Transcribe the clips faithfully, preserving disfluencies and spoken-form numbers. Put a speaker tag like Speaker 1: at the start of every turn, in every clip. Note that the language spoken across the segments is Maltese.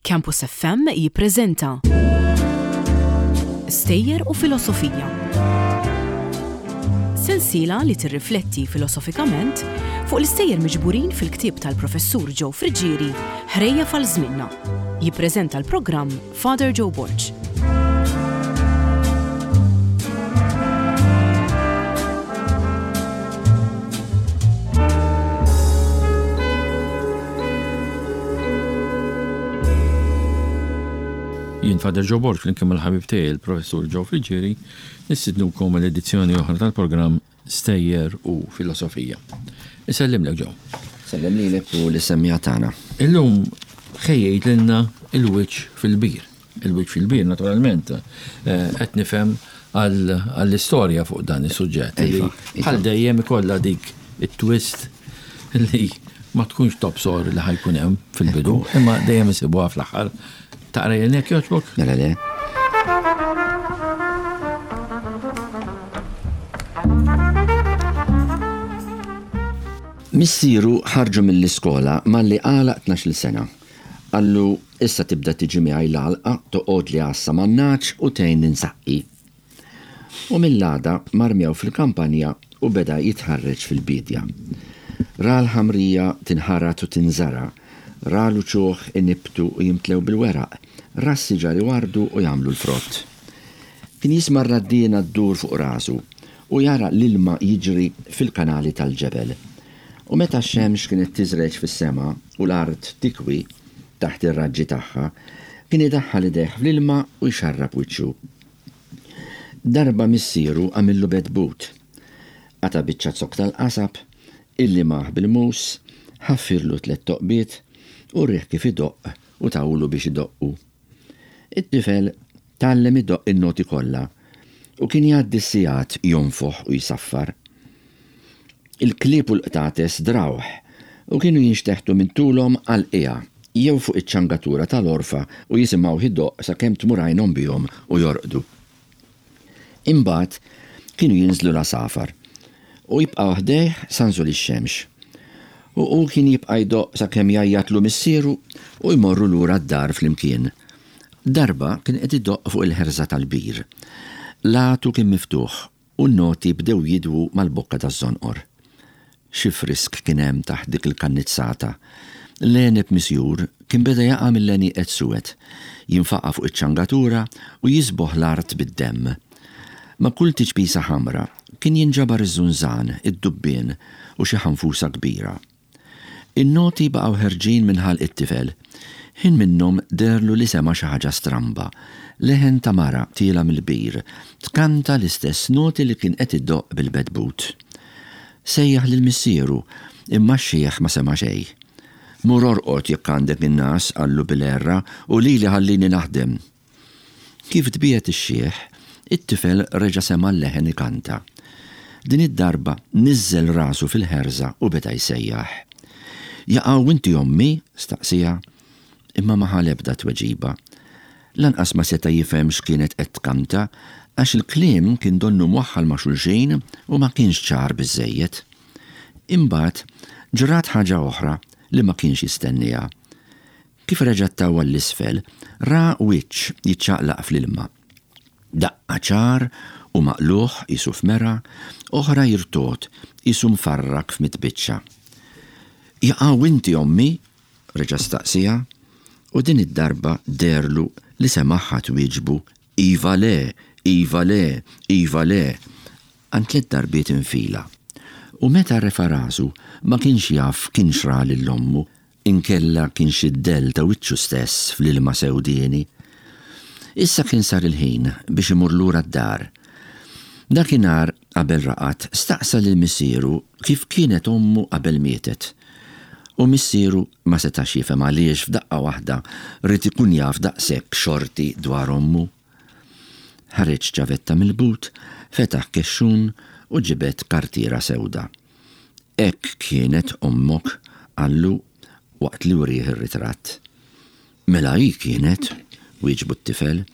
Speaker 1: Campus F M jippreżenta Stejjer u Filosofija. Sensiela li tirrifletti filosofikament fuq l-istejjer miġburin fil-ktieb tal-professur Joe Friggieri, Ħrejjef għal Żmienna. Jippreżenta l-programm Father Joe Borg.
Speaker 2: Jien Father Joe Borg, flimkien mal-ħabib tiegħi il-professur Joe Friggieri, nistidnukom l-edizzjoni oħra tal-programm Stejjer u Filosofija. Isellimlek, Joe.
Speaker 3: Sellem lilek u lis-semmiegħa tagħna.
Speaker 2: Illum ħejjejt lilna il-wiċċ fil-bir. Il-wiċċ fil-bir, naturalment, eh, qed nifhem għall-istorja fuq dan is-suġġett. Li
Speaker 3: Iva, iva.
Speaker 2: bħal dejjem ikollha dik it-twist li ma tkunx tobsor li ħa jkun hemm fil-bidu, imma dejjem isibuha fl-aħħar. Taqra jekk jogħġbok?
Speaker 3: Mela le. Missieru ħarġu mill-iskola malli għalaq tnax-il sena. Qallu: "Issa tibda tiġi miegħi l-għalqa, toqgħod li għassa man-nagħaġ u tgħin ninsaqqi." U mill-għada mar miegħu fil-kampanja u beda jitħarreġ fil-bidja. Ra l-ħamrija tinħarat u tinżara, ra l-uċuħ inibtu u jimtlew bil-weraq, ra s-siġar iwardu u jagħmlu l-frott. Kien jisma' r-raddiena ddur fuq rasu u jara l-ilma jiġri fil-kanali tal-ġebel. U meta x-xemx kienet tiżreġ fis-sema u l-art tikwi taħt ir-raġġi tagħha, kien idaħħal idejh fl-ilma u jxarrab wiċċu. Darba missieru għamillu bedbut. Qata' biċċa zokk tal-qasab, illimah bil-mus, ħaffirlu tliet toqbiet u wrieh kif idoqq u tawlu biex idoqqu. It-tifel tgħallem idoqq in-noti kollha u kien jgħaddi s-sigħat jonfoħ u jsaffar. Il-klieb u l-qtates drawh u kienu jinxteħtu minn tulhom għal qiegħa jew fuq iċ-ċangatura tal-orfa u jisimgħu idoqq sakemm tmur għajnhom bihom u jorqdu. Imbagħad kienu jinżlu l-għasafar u jibqgħu ħdejh sa nżul ix-xemx. U hu kien jibqa' jdoqq sakemm jgħajjatlu missieru u jmorru lura d-dar flimkien. Darba kien qed idoqq fuq il-ħerża tal-bir. L-għatu kien miftuħ u n-noti bdew jidwu mal-bokka taż-żonqor. Xi frisk kien hemm taħt dik il-kannizzata. L-għeneb misjur kien beda jaqa' mill-għenieqed suwed, jinfaqa' fuq iċ-ċangatura u jisboħ l-art bid-demm. Ma' kull tiċpisa ħamra kien jinġabar iż-żunżan, id-dubbien u xi ħanfusa kbira. In-noti baqgħu ħerġin minn ħalq it-tifel. Ħin minnhom deherlu li sema' xi ħaġa stramba. Leħen ta' mara tiela mill-bir, tkanta l-istess noti li kien qed iddoqq bil-bedbut. Sejjaħ lil missieru, imma x-xiħ ma sema' xejn. "Mur orqod jekk għandek in-nas," qallu bil-għerra, "u lili ħallini naħdem." Kif tbiegħed ix-xiħ, it-tifel reġa' sema' l-leħen ikanta. Din id-darba niżżel rasu fil-ħerża u beda jsejjaħ. "Jaqaw inti ommi?" staqsija, imma ma ħa l-ebda tweġiba. Lanqas ma seta' jifhem x'kienet qed tkanta għax il-kliem kien donnu mwaħħal ma' xulxin u ma kienx ċar biżżejjed. Imbagħad ġrat ħaġa oħra li ma kienx jistenniha. Kif reġa' ttawwal l-isfel, ra wiċċ jiċċaqlaq fl-ilma. Daqqa ċar u maqluħ qisu f'mera, oħra jirtot qisu mfarrak f'mitt biċċa. "Jaqaw inti ommi?" reġa' staqsija, u din id-darba deherlu li semaħħa twieġbu "Iva le, iva le, iva le", għand tliet darbiet infila. U meta refa' rasu ma kienx jaf kienx ra lil ommu, inkella kienx id-dell ta' wiċċu stess fl-ilma sewdieni. Issa kien sar il-ħin biex imur lura d-dar. Dakinhar qabel raqad staqsa lil missieru kif kienet ommu qabel mietet. U missieru ma setax jifhem għaliex f'daqqa waħda ried ikun jaf daqshekk xorti dwar ommu. Ħareġ ċavetta mill-but, fetaħ kexxun u ġibed kartiera sewda. "Hekk kienet ommok," qallu waqt li wrieh ir-ritratt. "Mela hi kienet," wieġbu t-tifel,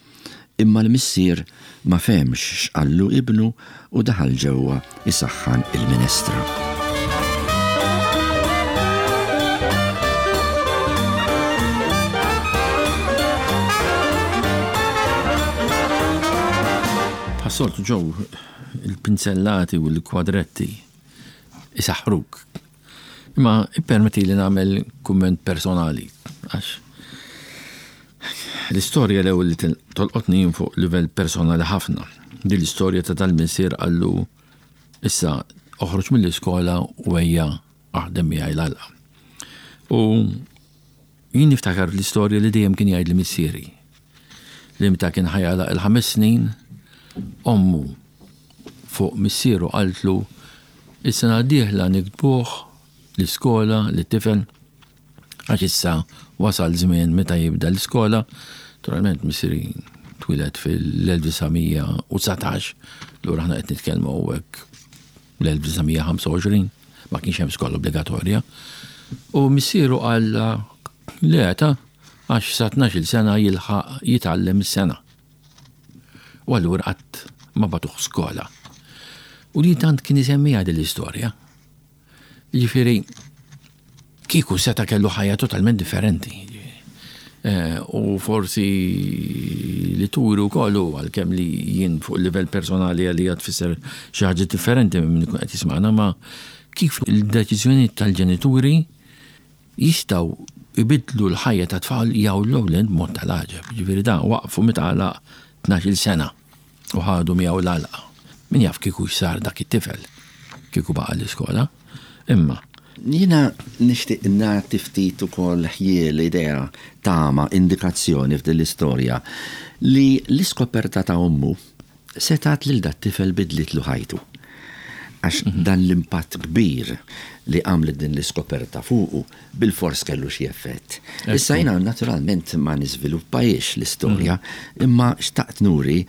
Speaker 3: imma l-missier ma fehmx x'qallu ibnu u daħal ġewwa isaħħan il-minestra.
Speaker 2: Bħas-soltu ġew il-pinzellati u l-kwadretti isaħruk. Imma ippermetti li nagħmel kumment personali għax l-istorja l-ewwel li tolqotni fuq livell personali ħafna. Din l-istorja ta' tal-missier qallu issa oħroġ mill-iskola u ejja aħdem miegħi l-għalqa. U jien niftakar l-istorja li dejjem kien jgħid li missieri. Li meta kien ħa jagħlaq il-ħames snin, ommu fuq missieru qaltlu is-sena d-dieħla niktbuh l-iskola lit-tifel għax issa wasal żmien meta jibda l-iskola. Naturalment missieri twieled fil-elf disa' mija u dsatax, lura aħna qed nitkellmu hawnhekk l-elf disa' mija ħamsa u għoxrin, ma kienx hemm skola obbligatorja. U missieru qal le ta' għax sa tnax-il sena jilħaq jitgħallem is-sena. U allura qatt ma batuh skola. U li tant kien isemmiha din l-istorja. Jiġifieri kieku seta' kellu ħajja totalment differenti. Eh, u forsi li turu kollu għalkemm li jien fuq livell personali għalija tfisser xi ħaġa differenti minn min ikun qed jisma'na, ma kif il-deċiżjoni tal-ġenituri jistgħu ibidlu l-ħajja ta' tfal jew l-ewwel mod tal-għaġeb. Ġifieri dan waqfu meta għalaq tnax-il sena u ħadu miegħu l-għalqa. Min jaf kieku x'sar dak it-tifel kieku baqa' l-iskola. Imma
Speaker 3: jiena nixtieq nagħti ftit ukoll ħjiel idea tama indikazzjoni f'din l-istorja li l-iskoperta ta' ommu setat lil dat tifel bidlitlu ħajtu. Għax
Speaker 2: Mhm.
Speaker 3: dan l-impatt kbir li għamlet din l-iskoperta fuqu bil-fors kellu xi effett.
Speaker 2: Ekku.
Speaker 3: Issa jiena naturalment ma niżviluppajiex l-istorja,
Speaker 2: Mhm.
Speaker 3: imma xtaqt nuri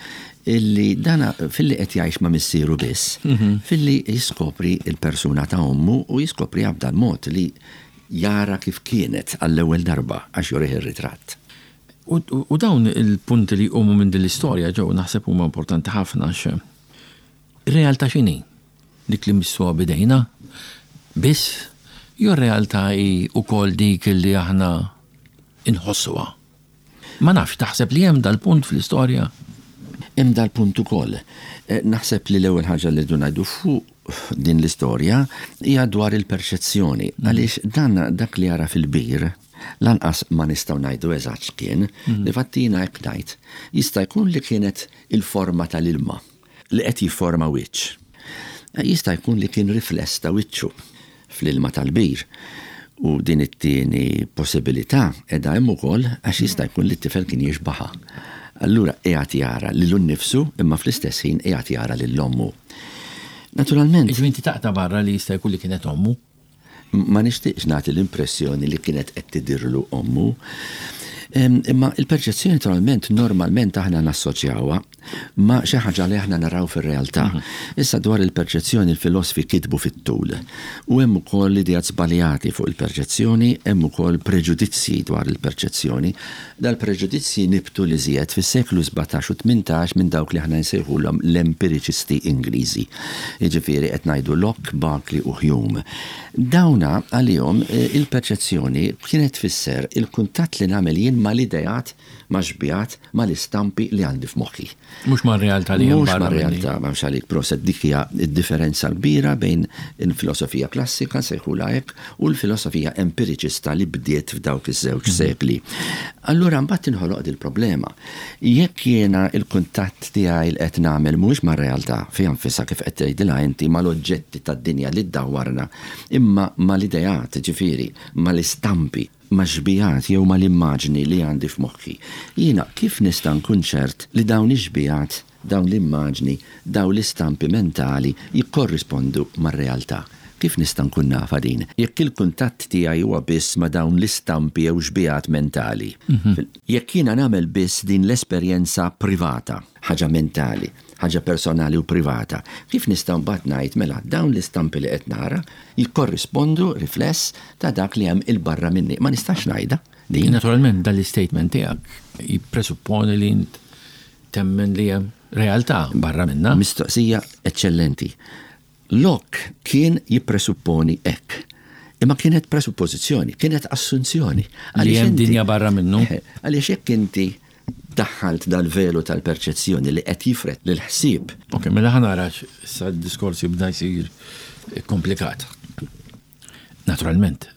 Speaker 3: illi dana filli qed jgħix ma' missieru biss,
Speaker 2: Mhm.
Speaker 3: filli jiskopri il-persuna ta' ommu u jiskopri b'dan mod li jara kif kienet għall-ewwel darba għax jurih ir-ritratt.
Speaker 2: U, u, u dawn il-punti li jqumu minn din l-istorja ġew naħseb huma importanti ħafna għax ir-realtà x'inhi? Dik li missuha bidejna biss jew r-realtà hi wkoll dik li aħna inħossuha. Ma nafx, taħseb li hemm dal-punt fl-istorja?
Speaker 3: Hemm dal-punt ukoll. Eh, naħseb li l-ewwel ħaġa li rridu ngħidu fuq din l-istorja hija dwar il-perċezzjoni.
Speaker 2: Mm.
Speaker 3: Għaliex dan dak li jara fil-bir, lanqas ma nistgħu ngħidu eżatt x'kien,
Speaker 2: Mm.
Speaker 3: li fattina hekk ngħid, jista' jkun li kienet il-forma tal-ilma li qed jifforma wiċċ. Jista' jkun li kien rifless ta' wiċċu fl-ilma tal-bir. U din it-tieni possibilità qiegħda hemm ukoll għax jista' jkun li t-tifel kien jixbaħha. Allura qiegħed jara lilu nnifsu imma fl-istess ħin qiegħed jara lil ommu. Naturalment.
Speaker 2: Jiġifieri inti taqta' barra li jista' jkun li kienet ommu?
Speaker 3: Ma nixtieqx nagħti l-impressjoni li kienet qed tidirlu ommu. Em, imma il-perċezzjoni naturalment normalment aħna nassoċjawha ma' xi ħaġa li aħna naraw fir-realtà.
Speaker 2: Mhm.
Speaker 3: Issa dwar il-perċezzjoni il-filosofi kitbu fit-tul. U hemm ukoll ideat żbaljati fuq il-perċezzjoni, hemm ukoll preġudizzji dwar il-perċezzjoni. Dal-preġudizzji nibtu li żjed fis-seklu sbatax u tmintax minn dawk li aħna nsejħulhom l-empiriċisti Ingliżi. Jiġifieri qed ngħidu Locke, Berkeley u Hume. Dawna għalihom, eh, il-perċezzjoni kienet tfisser il-kuntatt li nagħmel jien mal-ideat, ma' xbijat, mal-istampi li għandi f'moħħi.
Speaker 2: Mhux mar-realtà li hemm
Speaker 3: Mhux
Speaker 2: barra minni.
Speaker 3: mar-realtà, ma mhux għalik proset, dik hija d-differenza kbira bejn il-filosofija klassika, sejħula hekk, u l-filosofija empiriċista li bdiet f'dawk iż-żewġ
Speaker 2: Mhm.
Speaker 3: sekli. Allura mbagħad tinħoloq dil-problema. Jekk jiena il-kuntatt tiegħi li qed nagħmel mhux mar-realtà fiha nfisha kif qed tgħidilha inti mal-oġġetti tad-dinja li ddawwarna, imma mal-ideat, ġifieri, mal-istampi, ma' xbijat jew mal-immaġni li għandi f'moħħi. Jiena kif nista' nkun ċert li dawn ix-xbijat, dawn l-immaġni, dawn l-istampi mentali jikkorrispondu mar-realtà? Kif nista' nkun nafa din? Jekk il-kuntatt tiegħi huwa biss ma' dawn l-istampi jew xbijat mentali.
Speaker 2: Mhm.
Speaker 3: Fil-, jekk jiena nagħmel biss din l-esperjenza privata, ħaġa mentali, ħaġa personali u privata, kif nista' mbagħad ngħid mela dawn l-istampi li qed nara jikkorrispondu rifless ta' dak li hemm il-barra minni? Ma nistax ngħidha din.
Speaker 2: Naturalment dan l-istatement tiegħek jippresupponi li int temmen li hemm realtà barra minna.
Speaker 3: Mistoqsija eċċellenti. Locke kien jippresupponi hekk. Imma kienet presuppożizzjoni, kienet assunzjoni.
Speaker 2: Li
Speaker 3: Għaliex
Speaker 2: hemm
Speaker 3: inti
Speaker 2: dinja barra minnu.
Speaker 3: Eh, għaliex jekk inti Daħħalt dal-velu tal-perċezzjoni li qed jifred l-ħsieb.
Speaker 2: Ok, mela ħa nara issa d-diskors jibda jsir komplikat. Naturalment,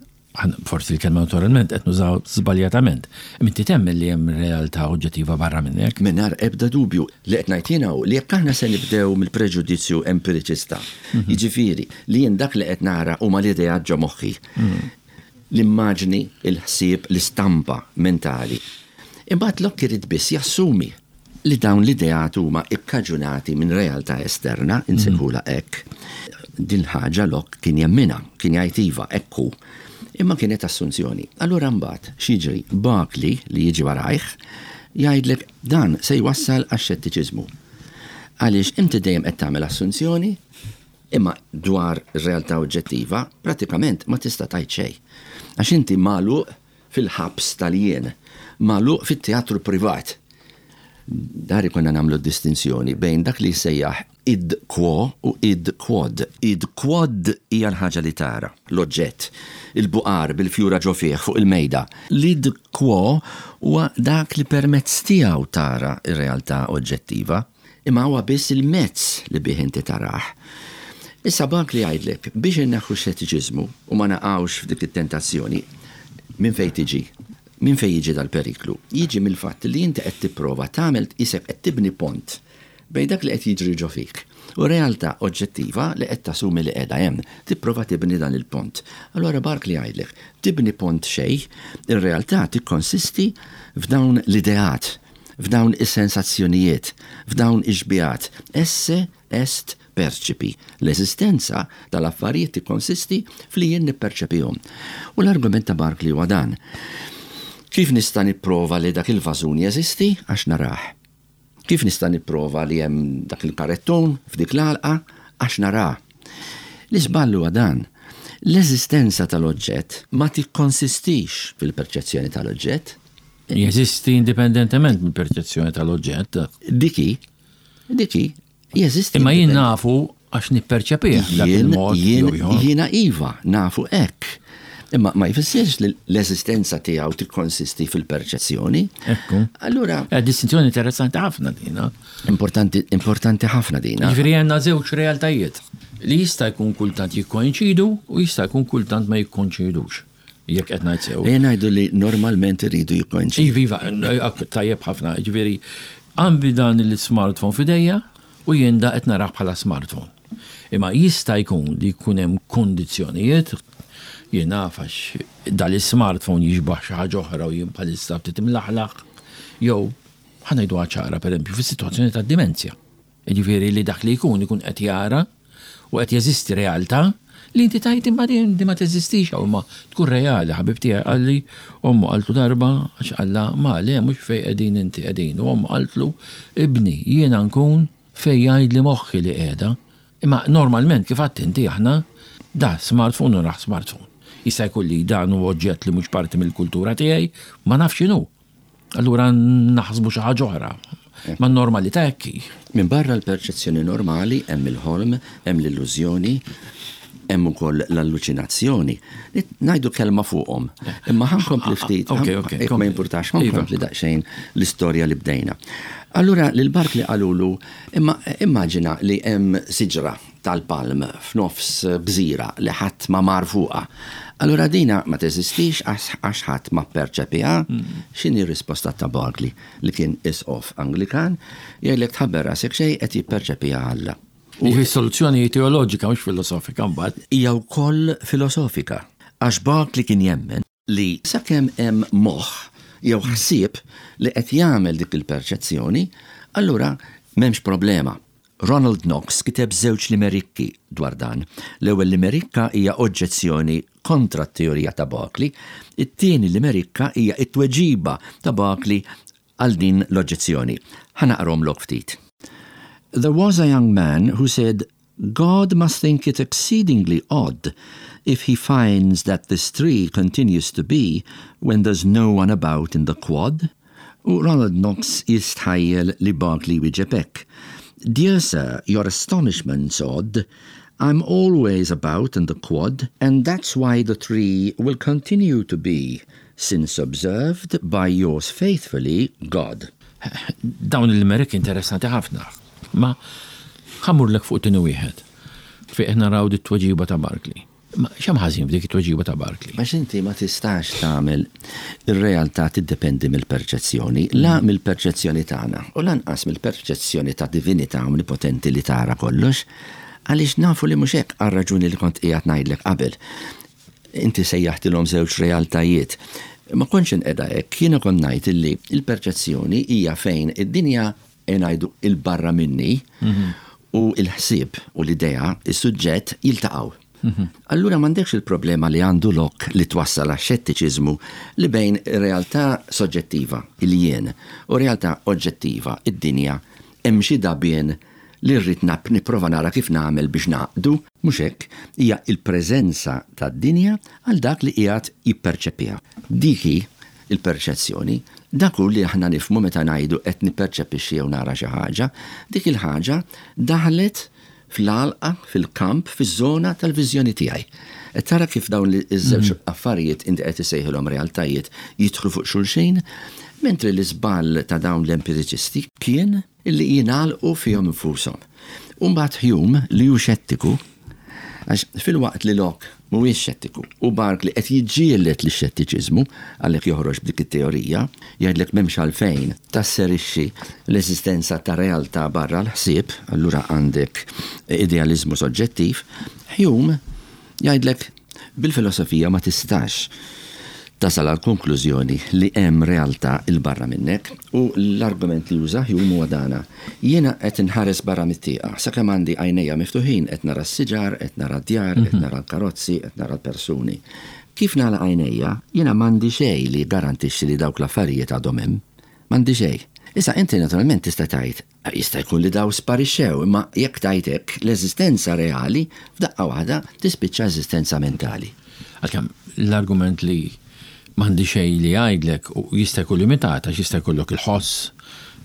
Speaker 2: forsi l-kelma naturalment qed nużaw żbaljatament. Inti temmen li hemm realtà oġġettiva barra minn hekk?
Speaker 3: Mingħajr ebda dubju. Li qed ngħid jiena li jekk aħna se nibdew mill-preġudizzju empiriċista, mhm. jiġifieri li jien dak li qed nara huma l-ideat ġo moħħi. Mhm. L-immaġni, il-ħsieb, l-istampa mentali. Imbagħad Locke irid biss jassumi li dawn l-ideat huma ikkaġunati minn realtà esterna, insejħulha hekk. Din ħaġa Locke kien jemminha, kien jgħid iva, ekku. Imma kienet assunzjoni. Allura mbagħad x'jiġri? Berkeley li jiġi warajh jgħidlek dan se jwassal għax-xettiċiżmu. Għaliex inti dejjem qed tagħmel assunzjoni, imma dwar realtà oġġettiva pratikament ma tista' tgħid xejn. Għax inti magħluq fil-ħabs tal-jien, magħluq fit-teatru privat. Dari konna nagħmlu distinzjoni bejn dak li jsejjaħ id quo u id quod. Id quod hija l-ħaġa li tara, l-oġġett, il-buqar bil-fjura ġo fih fuq il-mejda. L-id quo huwa dak li permezz tiegħu tara ir-realtà oġġettiva, imma huwa biss il-mezz li bih inti tarah. Issa Berkeley jgħidlek biex inneħħu xettiċiżmu u ma naqgħux f'dik it-tentazzjoni, minn fejn tiġi? Minn fejn jiġi dal-periklu? Jiġi mill-fatt li inti qed tipprova tagħmel isek qed tibni pont bejn dak li qed jiġri ġo fik u realtà oġġettiva li qed tassumi li qiegħda hemm. Tipprova tibni dan il-pont. Allura Berkeley jgħidlek, tibni pont xejn, ir-realtà tikkonsisti f'dawn l-ideat, f'dawn is-sensazzjonijiet, f'dawn ix-xbihat. Esse est percipi. L-eżistenza tal-affarijiet tikkonsisti fli jien nipperċepihom. U l-argument ta' Berkeley huwa dan. Kif nista' nipprova li dak il-vażun jeżisti? Għax narah. Kif nista' nipprova li hemm dak il-karettun f'dik l-għalqa? Għax narah. L-iżball huwa dan. L-eżistenza tal-oġġett ma tikkonsistix fil-perċezzjoni tal-oġġett.
Speaker 2: Jeżisti indipendentement mill-perċezzjoni tal-oġġett.
Speaker 3: Diki, diki, jeżisti.
Speaker 2: Imma jien nafu għax nipperċepih dak il-mod.
Speaker 3: Jiena iva, nafu hekk. Imma ma jfissirx li l-eżistenza tiegħu tikkonsisti fil-perċezzjoni.
Speaker 2: Ekku.
Speaker 3: Allura.
Speaker 2: Eh, distinzjoni interessanti ħafna dina.
Speaker 3: Importanti, importanti ħafna dina.
Speaker 2: Ġifieri għandna żewġ realtajiet li jista' jkun kultant jikkoinċidu u jista' jkun kultant ma jikkoinċidux. Jekk qed ngħid sew.
Speaker 3: Ejja ngħidu li normalment iridu jikkoinċidu.
Speaker 2: Iva, iva, tajjeb ħafna. Ġifieri għandi dan il-smartphone f'idejja u jien da qed narah bħala smartphone. Imma jista' jkun li jkun hemm kondizzjonijiet, jien naf, għax dal-smartphone jixbaħ xi ħaġa oħra u jien bħalissa ftit imlaħlaħ, jew ħa ngħidu ċara, pereżempju, fis-sitwazzjoni ta' dimenzja. Jiġifieri li dak li jkun ikun qed jara u qed jeżisti realtà li inti tgħid imma din ma teżistix jew ma tkun reali. Ħabib tiegħi qalli ommu qaltlu darba, għax qalla ma le, mhux fejn qegħdin inti qegħdin, u ommu qaltlu: "Ibni, jiena nkun fejn jgħidli moħħi li qiegħda." Imma normalment, kif għedt inti, aħna da smartphone u raħ smartphone. Jista' jkun li dan hu oġġett li mhux parti mill-kultura tiegħi, ma nafx x'inhu. Allura naħsbu xi ħaġa oħra. Ma normalità hekk hi.
Speaker 3: Minn barra l-perċezzjoni normali hemm il-ħolm, hemm l-illużjoni, hemm ukoll l-alluċinazzjoni. Ngħidu kelma fuqhom. Imma ħa nkompli ftit,
Speaker 2: Ok, ok,
Speaker 3: jekk ma jimpurtax, ħa nkompli daqsxejn l-istorja li bdejna. Allura lil Berkeley qalulu, imma immaġina li hemm siġra tal-palm f'nofs gżira li ħadd ma mar fuqha. Allura dina ma teżistix għax ħadd ma perċepiha? X'inhi r-risposta ta' Berkeley, li kien isqof Anglikan? Jgħidlek tħabbar rasek xejn, qed jipperċepiha Alla.
Speaker 2: U soluzzjoni teoloġika, mhux filosofika mbagħad.
Speaker 3: Hija wkoll filosofika. Għax Berkeley kien jemmen li sakemm hemm moħħ jew ħsieb li qed jagħmel dik il-perċezzjoni, allura m'hemmx problema. Ronald Knox kiteb żewġ limerikki dwar dan. L-ewwel limerikka hija oġġezzjoni kontra t-teorija ta' Berkeley, it-tieni limerikka hija t-tweġiba ta' Berkeley għal din l-oġġezzjoni. Ħa naqrahomlok ftit. There was a young man who said, "God must think it exceedingly odd if he finds that this tree continues to be when there's no one about in the quad." U Ronald Knox jistħajjel li Berkeley wieġeb hekk: "Dear sir, your astonishment's odd. I'm always about in the quad, and that's why the tree will continue to be, since observed by yours faithfully, God."
Speaker 2: Dawn il-limerick interessanti ħafna. Ma ħa mmurlek fuq tieni wieħed. Fejn qed naraw dit tweġiba ta' Barclay. Ma x'hemm ħażin f'dik it-tweġiba ta' Barclay?
Speaker 3: Għax inti ma tistax tagħmel ir-realtà tiddependi mill-perċezzjoni, la mill-perċezzjoni tagħna u lanqas mill-perċezzjoni ta' divinità omnipotenti li tara kollox, għaliex nafu li mhux hekk, għar-raġuni li kont qiegħed ngħidlek qabel. Inti sejjaħtilhom żewġ realtajiet. Ma kontx inqeda hekk, jiena kont ngħid illi il-perċezzjoni hija fejn id-dinja, ngħidu, il-barra minni u il-ħsieb u l-idea, is-suġġett, jiltaqgħu. Allura m'għandekx il-problema li għandu Locke li twassal għax-xettiċiżmu, li bejn realtà soġġettiva, il-jien, u realtà oġġettiva, id-dinja, hemm xi dabien li rrid nab nipprova nara kif nagħmel biex naqdu, mhux hekk, hija il-preżenza tad-dinja għal dak li qiegħed jipperċepiha. Dik hi il-perċezzjoni, dak hu li aħna nifhmu meta ngħidu qed nipperċepixxi jew nara xi ħaġa, dik il-ħaġa daħlet fl-għalqa, fil-kamp, fiż-żona tal-viżjoni tiegħi. Qed tara kif dawn li iż-żewġ affarijiet inti qed isejħilhom realtajiet jidħlu fuq xulxin, mentri l-iżball ta' dawn l-empiriċisti kien illi jingħalqu fihom infushom. U mbagħad Hume, li hu xettiku, għax filwaqt li Locke mhuwiex xettiku u Barclay qed jiġġieled li xettiċiżmu, għalhekk joħroġ b'dik it-teorija, jgħidlek m'hemmx għalfejn tasserixxi l-eżistenza ta' realtà barra l-ħsieb, allura għandek idealizmu soġġettiv. Hume jgħidlek bil-filosofija ma tistax tasal għal konklużjoni li hemm realtà 'il barra minnek, u l-argument li juża Hume huwa dana. Jiena qed inħares barra mit-tieqa, sakemm għandi għajnejja miftuħin qed nara s-siġar, qed nara d-djar, qed nara l-karozzi, qed nara l-persuni. Kif nagħlaq għajnejja, jiena m'għandi xejn li garantixxi li dawk l-affarijiet għadhom hemm. M'għandi xejn. Issa inti naturalment tista' tgħid, jista' jkun li daw sparixxew, imma jekk tgħid hekk, l-eżistenza reali f'daqqa waħda tispiċċa eżistenza mentali.
Speaker 2: Għalkemm l-argument li m'għandi xejn li jgħidlek u jista' jkun limitat, għax jista' jkollok il-ħoss,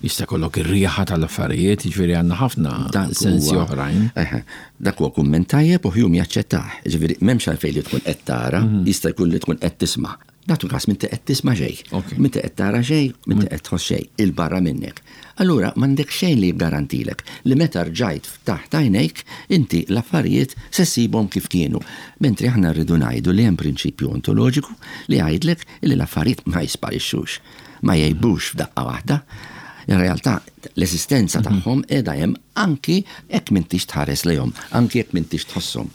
Speaker 2: jista' jkollok ir-riħa tal-affarijiet, jiġifieri għandna ħafna
Speaker 3: Dak
Speaker 2: sensi
Speaker 3: huwa-
Speaker 2: oħrajn.
Speaker 3: Eħe, dak huwa kumment tajjeb u Hume jaċċettah. Ġifieri m'hemmx għalfejn li tkun qed tara, jista' jkun li tkun qed tisma'. Nagħtu każ m'inti qed tisma' xejn.
Speaker 2: Ok.
Speaker 3: M'inti qed tara xejn, m'inti qed tħoss xejn 'il barra minnek. Allura m'għandek xejn li jiggarantilek li meta rġajt ftaħt għajnejk inti l-affarijiet se ssibhom kif kienu. Mentri aħna rridu ngħidu li hemm prinċipju ontoloġiku li jgħidlek li l-affarijiet ma jisparixxux, ma jgħibux f'daqqa waħda. In realtà l-eżistenza tagħhom qiegħda hemm anki jekk m'intix tħares lejhom, anki jekk m'intix tħosshom.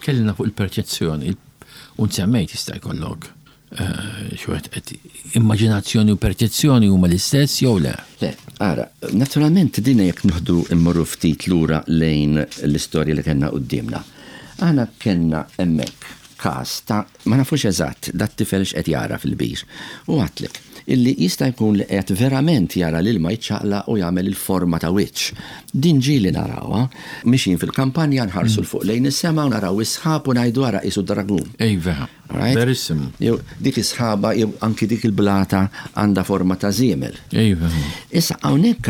Speaker 2: Kellimna fuq il-perċezzjoni, u nsemmejt jista' jkollok eh, xi wieħed qed immaġinazzjoni u perċezzjoni huma l-istess jew le?
Speaker 3: Le, ara, naturalment din jekk nieħdu immorru ftit lura lejn l-istorja li kellna quddiemna. Aħna kellna hemmhekk każ ta' ma nafux eżatt dat tifel x'qed jara fil-bir. U għedtlek illi jista' jkun li qed verament jara l-ilma jiċċaqlaq u jagħmel il-forma ta' wiċċ. Din ġieli narawha, mixjin fil-kampanja, nħarsu 'l fuq lejn is-sema u naraw is-sħab u ngħidu, "Ara, qisu dragun."
Speaker 2: Ejva,
Speaker 3: Right?
Speaker 2: verissimu.
Speaker 3: Jew dik is-sħaba jew anki dik il-blata għandha forma ta' żiemel.
Speaker 2: Ejva.
Speaker 3: Issa hawnhekk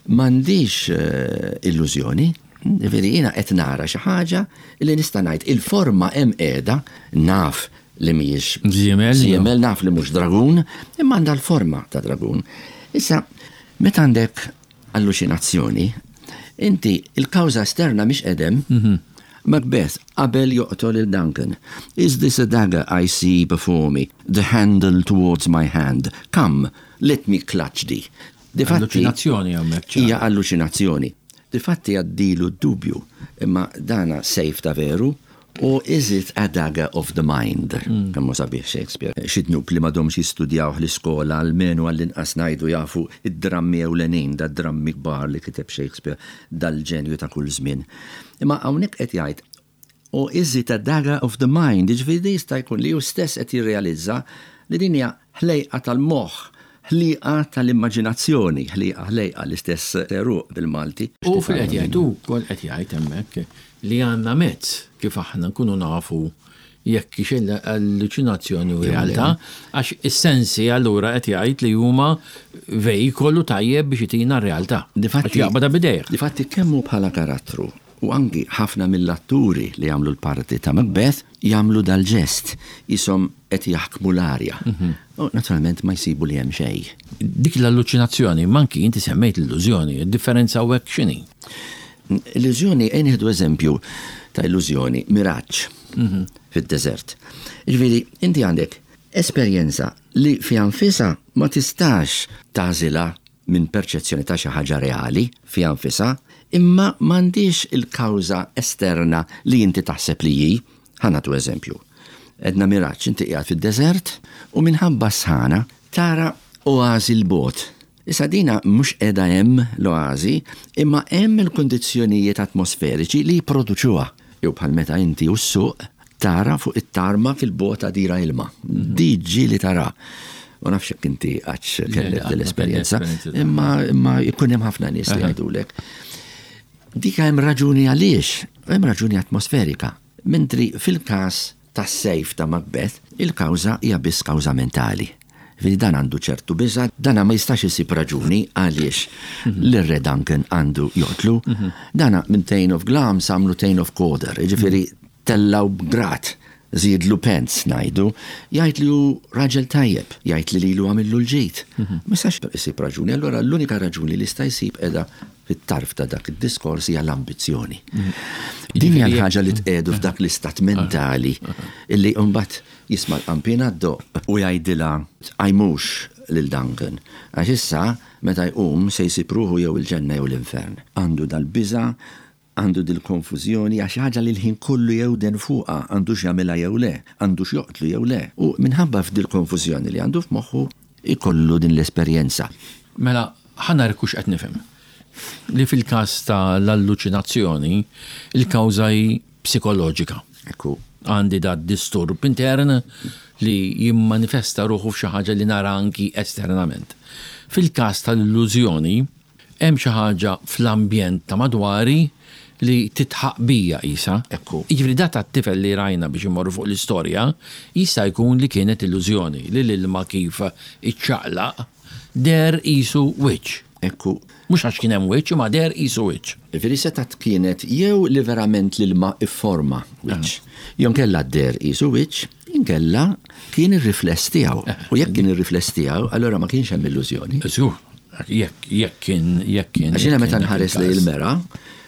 Speaker 3: m'għandix eh, illużjoni, ġifieri jiena qed nara xi ħaġa li nista' ngħid il-forma hemm qiegħda, naf li mhijiex
Speaker 2: Żiemel,
Speaker 3: żiemel, naf li mhux dragun, imma għandha l-forma ta' dragun. Issa, meta għandek alluċinazzjoni, inti il-kawża esterna mhix qedem. Macbeth, qabel joqtol il Duncan. "Is this a dagger I see before me? The handle towards my hand. Come, let me clutch thee." Difatti,
Speaker 2: Alluċinazzjoni hemmhekk ċara.
Speaker 3: Hija alluċinazzjoni. Difatti għaddilu dubju, imma dana sejf ta' veru, or is it a dagger of the mind? Kemm hu sabiħ Shakespeare. Xi dnub li m'għadhomx jistudjaw l-iskola, almenu għall-inqas ngħidu jafu id-drammi ewlenin, da drammi kbar li kiteb Shakespeare, dal-ġenju ta' kull żmien. Imma hawnhekk qed jgħid, "Or is it a dagger of the mind?" Ġifieri jista' jkun li hu stess qed jirrealizza li din hija ħlejqa tal-moħħ, ħliqa tal-immaġinazzjoni, ħliqa, ħlejqa, l-istess għeruq bil-Malti.
Speaker 2: U fil qed jgħid ukoll, qed jgħid hemmhekk li għandna mezz kif aħna nkunu nafu jekk hix alluċinazzjoni u realtà, għax is-sensi allura qed jgħid li huma vejkolu tajjeb biex itina r-realtà.
Speaker 3: Difatti,
Speaker 2: Għax jaqbadha b'idejh.
Speaker 3: Difatti kemm hu bħala karattru U anki ħafna mill-atturi li jagħmlu l-parti ta' Macbeth jagħmlu dal-ġest, qishom qed jaħkmu l-arja. Mhm. U naturalment ma jsibu li hemm xejn.
Speaker 2: Dik l-alluċinazzjoni, manki inti semmejt l-illużjoni, differenza u hekk x'inhi?
Speaker 3: Illużjoni, ejja nieħdu eżempju ta' illużjoni, miraġġ mhm. fid-deżert. Ġifieri, inti għandek esperjenza li fiha nfisha ma tistax tagħżilha minn perċezzjoni ta' xi ħaġa reali fiha nfisha, imma m'għandix il-kawża esterna li inti taħseb li hi. Ħa nagħtu eżempju. Għedna miraġġ, inti qiegħed fid-deżert u minħabba sħana tara oażi 'l bogħod. Issa dina mhux qiegħda hemm l-oażi, imma hemm il-kundizzjonijiet atmosferiċi li jipproduċuha. Jew bħal meta inti u ssuq tara fuq it-tarma fil-bogħod għadira ilma. Di ġieli tara. Ma nafx jekk inti qattx kellek l-esperjenza, imma imma jkun hemm ħafna nies li jgħidulek. Dik hemm raġuni għaliex, hemm raġuni atmosferika. Mentri fil-każ tas-sejf ta' Macbeth, il-kawża hija biss kawża mentali. Ġifieri dan għandu ċertu biża', dana ma jistax isib raġuni għaliex l-Re Duncan għandu joqtlu. Dana minn Thane of Glamis għamlu Thane of Cawdor, ġifieri tellgħu b'grad, żiedlu pence ngħidu, jgħid li hu raġel tajjeb, jgħid li lilu għamillu l-ġid. Ma jistax isib raġuni, allura l-unika raġuni li jista' jsib qiegħda fit-tarf ta' dak id-diskors hija l-ambizzjoni. Din hija l-ħaġa li tqiegħdu f'dak l-istat mentali illi mbagħad jisma' l-qampina ddoqq u jgħidilha tqajmux lil Duncan. Għax issa meta jqum se jsib ruħu jew il-ġenna jew l-infern. Għandu dal-biża', għandu dil-konfużjoni għax ħaġa li l-ħin kollu jewden fuqha għandux jagħmilha jew le, għandux joqtlu jew le. U minħabba f'dil-konfużjoni li għandu f'moħħu ikollu din l-esperjenza.
Speaker 2: Mela, ħa nara hux qed nifhem. Li fil-każ ta' l-alluċinazzjoni, il-kawża hi psikoloġika.
Speaker 3: Ekku.
Speaker 2: Għandi da disturb intern li jimmanifesta ruħu f'xi ħaġa li nara anki esternament. Fil-każ tal-illużjoni, hemm xi ħaġa fl-ambjent ta' madwari li tidħaq bija isa.
Speaker 3: Ekku.
Speaker 2: Jiġifieri da tat-tifel li rajna biex imorru fuq l-istorja, jista' jkun li kienet illużjoni li l-ilma kif iċċaqlaq deher qisu wiċċ.
Speaker 3: Ekku.
Speaker 2: Mhux għax kien hemm wiċċ, imma deher qisu wiċċ.
Speaker 3: Ġifieri setgħet kienet jew li verament l-ilma ifforma wiċċ. Jew kella deher qisu wiċċ, inkella kien ir-rifless tiegħu. U jekk kien ir-rifless tiegħu, allura ma kienx hemm illużjoni.
Speaker 2: Żgur, jekk jekk kien jekk kien.
Speaker 3: Għax jiena meta nħares li il-mera,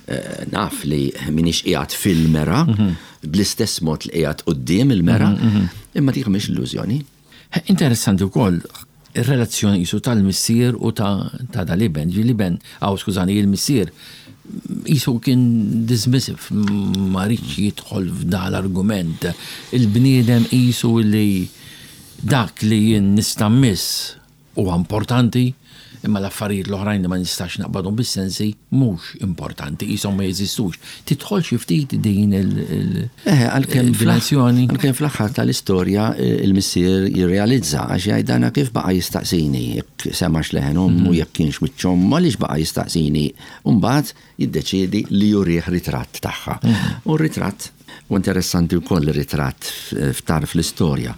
Speaker 3: eh, naf li minix qiegħed fil-mera, bl-istess mod li qiegħed quddiem il-mera, imma dik mhix illużjoni.
Speaker 2: Interessanti wkoll ir-relazzjoni qisu tal-missier u ta' ta' dal-iben. Ġi l-iben, aw skużani, il-missier qisu kien dismissive, ma riedx jidħol f'dan l-argument. Il-bniedem qisu li dak li jien nista' mmiss huwa importanti, imma l-affarijiet l-oħrajn li ma nistax naqbadhom bis-sensi mhux importanti, qishom ma jeżistux. Tidħol xi ftit din il-
Speaker 3: Eh, għalkemm
Speaker 2: il-dimensjoni.
Speaker 3: Għalkemm fl-aħħar tal-istorja eh, il-missier jirrealizza għax jgħid dana kif baqa' jistaqsini jekk semax leħen ommu jekk kienx wiċċ ommu għaliex baqa' jistaqsini. U mbagħad jiddeċiedi li jurih ritratt tagħha. U r-ritratt u interessanti wkoll ir-ritratt f'tarf l-istorja.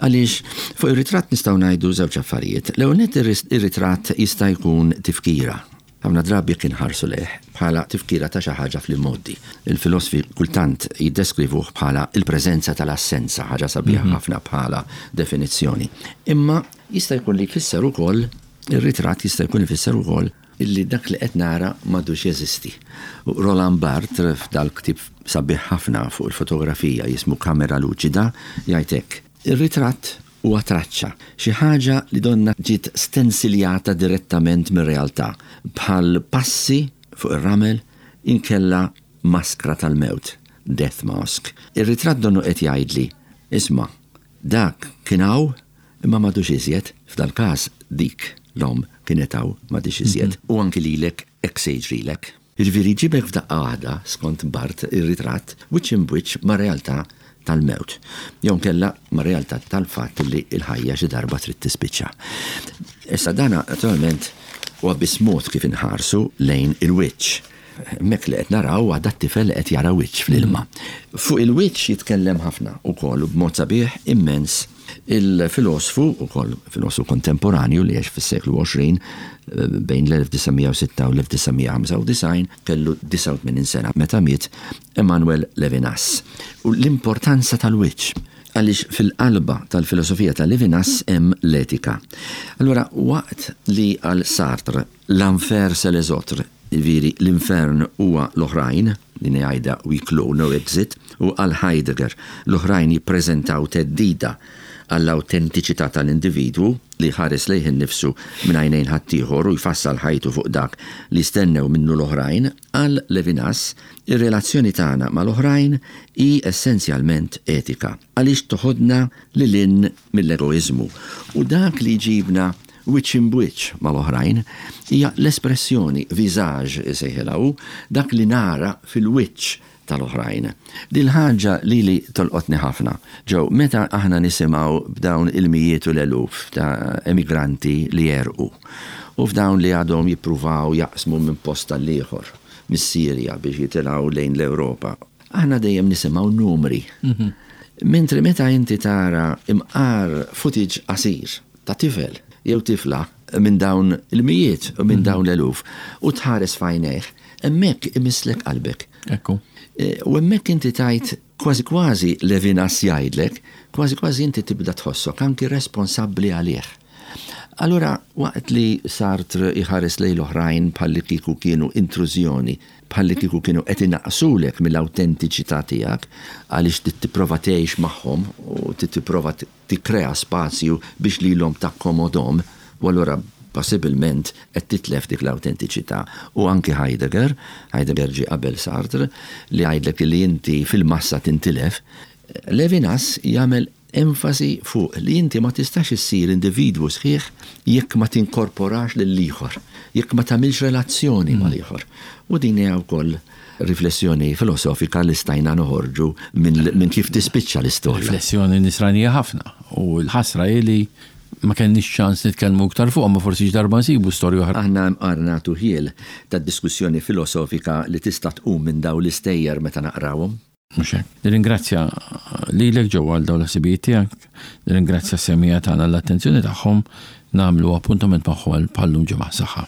Speaker 3: Għaliex fuq ir-ritratt nistgħu ngħidu żewġ affarijiet. L-ewwel nett ir-ritratt jista' jkun tifkira. Ħafna drabi kien ħarsu lejh bħala tifkira ta' xi ħaġa fl-immoddi. Il-filosofi kultant jiddeskrivuh bħala il-preżenza tal-assenza, ħaġa sabiħa ħafna bħala definizzjoni. Imma jista' jkun li jfisser ukoll ir-ritratt jista' jkun ifisser ukoll illi dak li qed nara m'għadux jeżisti. U Roland Barthes f'dal-ktieb sabiħ ħafna fuq il-fotografija jismu Kamera Luċida jgħid hekk. Ir-ritratt huwa traċċa, xi ħaġa li donna ġiet stensiljata direttament mir-realtà, bħal passi fuq ir-ramel inkella maskra tal-mewt, death mask. Ir-ritratt donnu qed jgħidli, isma' dak kien hawn imma m'għadux iżjed, f'dal-każ dik l-om kienet hawn m'għadix iżjed. U anki lilek hekk se jiġrilek. Jiġifieri ġibek f'daqqa waħda skont Barthes ir-ritratt wiċċ imb wiċċ ma' realtà tal-mewt. Jew kella ma' realtà tal-fatt li l-ħajja xi darba trid tispiċċa. Issa dana naturalment huwa biss mod kif inħarsu lejn il-wiċċ. Hemmhekk li qed naraw għadha t-tifel li qed jara wiċċ fl-ilma. Fuq il-wiċċ jitkellem ħafna ukoll b'mod sabiħ immens il-filosfu, ukoll filosfu kontemporanju li għex fis-seklu għoxrin, bejn l-elf disa' mija u sitta u l-elf disa' mija u ħamsa u disgħin, kellu disgħa u tmenin sena meta miet, Emmanuel Levinas. U l-importanza tal-wiċċ, għaliex fil-qalba tal-filosofija ta' Levinas hemm l-etika. Allora, waqt li għal Sartre l'enfer c'est les autres, jiġifieri l-infern huwa l-oħrajn, din jgħidha huis clos, no exit, u għal Heidegger l-oħrajn jippreżentaw theddida għall-autentiċità tal-individwu li ħares lejh innifsu minn għajnejn ħaddieħor u jfassal ħajtu fuq dak li stennew minnu l-oħrajn, għal Levinas ir-relazzjoni tagħna mal-oħrajn hi essenzjalment etika, għaliex toħodna lil hinn mill-egoiżmu u dak li jġibna wiċċ imb'wiċċ mal-oħrajn hija l-espressjoni, visage isejħilha hu, dak li nara fil-wiċċ tal-oħrajn. Dil-ħaġa li li tolqotni ħafna. Ġew, meta aħna nisimgħu b'dawn il-mijiet u l-eluf ta' emigranti li jerqu u f'dawn li għadhom jippruvaw jaqsmu minn post għall-ieħor mis-Sirja biex jitilgħu lejn l-Ewropa. Aħna dejjem nisimgħu numri. Mentri meta inti tara imqar footage qasir ta' tifel jew tifla minn dawn il-mijiet u minn dawn l-eluf u tħares f'għajnejh, hemmhekk imisslek qalbek.
Speaker 2: Ekku.
Speaker 3: E, u hemmhekk inti tajt kważi kważi Levinas jgħidlek, kważi kważi inti tibda tħossok anki responsabbli għalih. Allura, waqt li Sartre iħares lejn l-oħrajn bħalli kieku kienu intrużjoni, bħalli kieku kienu qed inaqsulek mill-awtentiċità tiegħek għaliex trid tipprova tgħix magħhom u trid tipprova tikkrea spazju biex lilhom takkomodhom, u allura possibilment qed titlef dik l-awtentiċità. U anki Heidegger, Heidegger ġie qabel Sartre, li jgħidlek li inti fil-massa tintilef, Levinas jagħmel enfasi fuq li inti ma tistax issir individwu sħiħ jekk ma tinkorporax lill-ieħor, jekk ma tagħmilx relazzjoni mal-ieħor. U din hija wkoll riflessjoni filosofika li stajna noħorġu minn min kif tispiċċa l-istorja.
Speaker 2: Riflessjoni nisranija ħafna. U l-ħasra hi li ma kenniex ċans nitkellmu iktar fuq, ma forsi darba nsibu storja oħra.
Speaker 3: Aħna mqar nagħtu ħjiel ta' diskussjoni filosofika li tista' tqum minn dawn l-istejjer meta naqrawhom.
Speaker 2: Mhux hekk. Nirringrazzja lilek ġew għal dawn l-ħsibijiet tiegħek, nirringrazzja s-semmiegħa tagħna l-attenzjoni tagħhom, nagħmlu appuntament magħhom bħal-lum ġimgħa. Saħħa.